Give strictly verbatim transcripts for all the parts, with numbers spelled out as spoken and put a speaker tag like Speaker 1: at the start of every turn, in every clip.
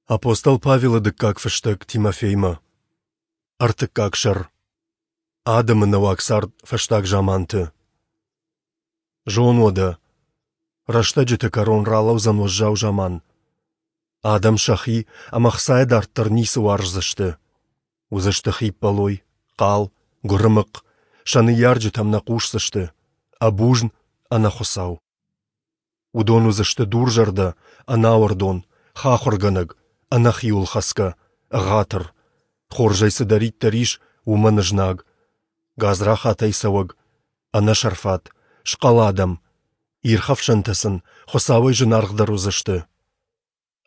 Speaker 1: Апостол Павелы дыккаг фыстӕг Тимофеймӕ. Ӕртыккаг сӕр. Адӕмы нӕуӕг цард фӕстаг заманты. Зон уӕдӕ, рӕстӕджыты кӕрон ралӕудзӕн уӕззау заман. Адӕм сӕхи ӕмӕ хцайӕ дарддӕр ницы уарздзысты. Уыдзысты хиппӕлой, хъал, гуырымыхъхъ, сӕ ныййарджытӕм нӕ хъусдзысты, ӕбузн, ӕнӕхуыцау. Уыдон уыдзысты дурзӕрдӕ, ӕнауӕрдон, хахуыргӕнӕг, ӕнӕхиуылхӕцгӕ, ӕгъатыр, хорзӕй цыдӕриддӕр ис, уымӕн знаг, гадзрахатӕй цӕуӕг, ӕнӕсӕрфат, схъӕл адӕм, ирхӕфсӕнтӕ сын Хуыцауӕй зынаргъдӕр уыдзысты.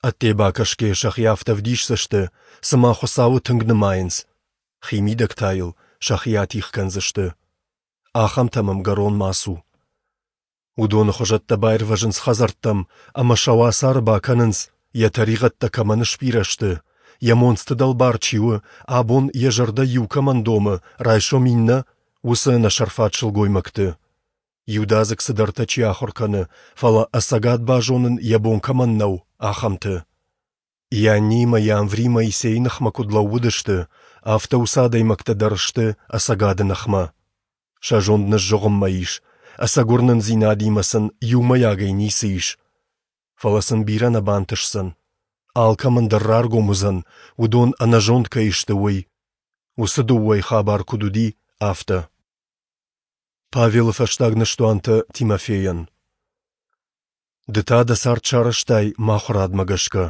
Speaker 1: Ӕдде бакӕсгӕйӕ сӕхи афтӕ ӕвдисдзысты, цыма Хуыцауы тынг нымайынц, химидӕг та йыл сӕхи атигъ кӕндзысты. Ахӕмтӕм ӕмгӕрон ма цу. Уыдоны хуызӕттӕ баирвӕзынц хӕдзӕрттӕм ӕмӕ сӕ уацары бакӕнынц, йӕ тӕригъӕдтӕ кӕмӕн сбирӕ сты, йӕ монцты дӕлбар чи у, абон йӕ зӕрдӕ иу кӕмӕн домы, райсом иннӕ, уыцы ӕнӕсӕрфат сылгоймӕгты. Иудадзыг цыдӕртӕ чи ахуыр кӕны, фӕлӕ ӕцӕгад базонын йӕ бон кӕмӕн нӕу, ахӕмты. Ианни ӕмӕ Иамври Моисейы ныхмӕ куыд лӕууыдысты, афтӕ уыцы адӕймӕгтӕ дӕр сты ӕцӕгады ныхмӕ. Сӕ зонд ныззыгъуыммӕ ис, ӕцӕг уырнындзинадимӕ сын иумӕйагӕй ницы ис. Фӕлӕ сын бирӕ нӕ бантысдзӕн. Алкӕмӕн дӕр раргом уыдзӕн, уыдон ӕнӕзонд кӕй сты, уый. Уыцы дыууӕйы хабар куыд уыди, афтӕ. Павелы фӕстаг ныстуантӕ Тимофейӕн. Ды та дӕ цард сарӕзтай мӕ ахуырадмӕ гӕсгӕ.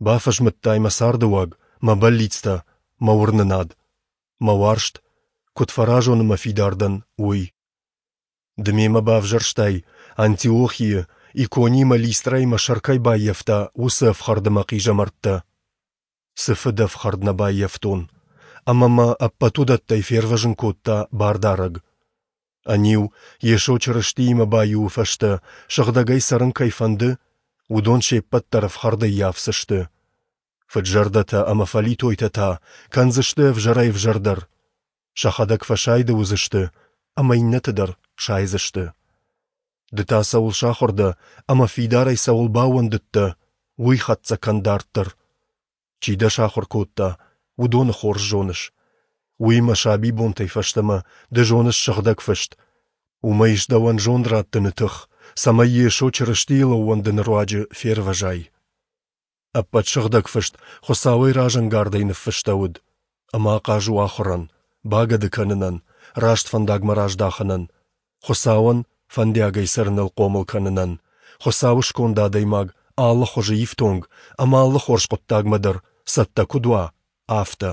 Speaker 1: Бафӕзмыдтай мӕ цардыуаг, мӕ бӕллицтӕ, мӕ уырнынад, мӕ уарзт, куыд фӕразон ӕмӕ фидар дӕн, уый. Ды мемӕ бавзӕрстай, Антиохийы, Икони ӕмӕ Листрӕйы мӕ сӕр кӕй баййӕфта, уыцы ӕфхӕрд ӕмӕ хъизӕмӕрттӕ. Цы фыдӕфхӕрд нӕ баййӕфтон, ӕмӕ мӕ ӕппӕт уыдӕттӕй фервӕзын кодта Бардарӕг. Ӕниу, Йесо Чырыстиимӕ баиуы фӕстӕ сыгъдӕгӕй цӕрын кӕй фӕнды, уыдон се ппӕт дӕр ӕфхӕрд ӕййафдзысты. Фыд-зӕрдӕтӕ ӕмӕ фӕлитойтӕ та кӕндзысты ӕвзӕрӕй-ӕвзӕрдӕр. Сӕхӕдӕг фӕсайды уыдзысты ӕмӕ иннӕты дӕр сайдзысты. Ды та цӕуыл сахуыр дӕ ӕмӕ фидарӕй цӕуыл баууӕндыдтӕ, уый хӕццӕ кӕн дарддӕр. Чи дӕ сахуыр кодта, уыдоны хорз зоныс. Уыимӕ сабибонтӕй фӕстӕмӕ ды зоныс Сыгъдӕг Фыст. Уымӕ ис дӕуӕн зонд раттыны тых, цӕмӕй Йесо Чырыстийыл ӕууӕндыны руаджы фервӕзай. Ӕппӕт Сыгъдӕг Фыст Хуыцауӕй разӕнгардӕй ныффыстӕуыд, ӕмӕ ахъаз у ахуырӕн, багӕды кӕнынӕн, раст фӕндагмӕ раздахынӕн, Хуыцауӕн фӕндиагӕй цӕрыныл хъомыл кӕнынӕн, Хуыцауы сконд адӕймаг алы хуызы ифтонг ӕмӕ алы хорз хъуыддагмӕ дӕр цӕттӕ куыд уа, афтӕ.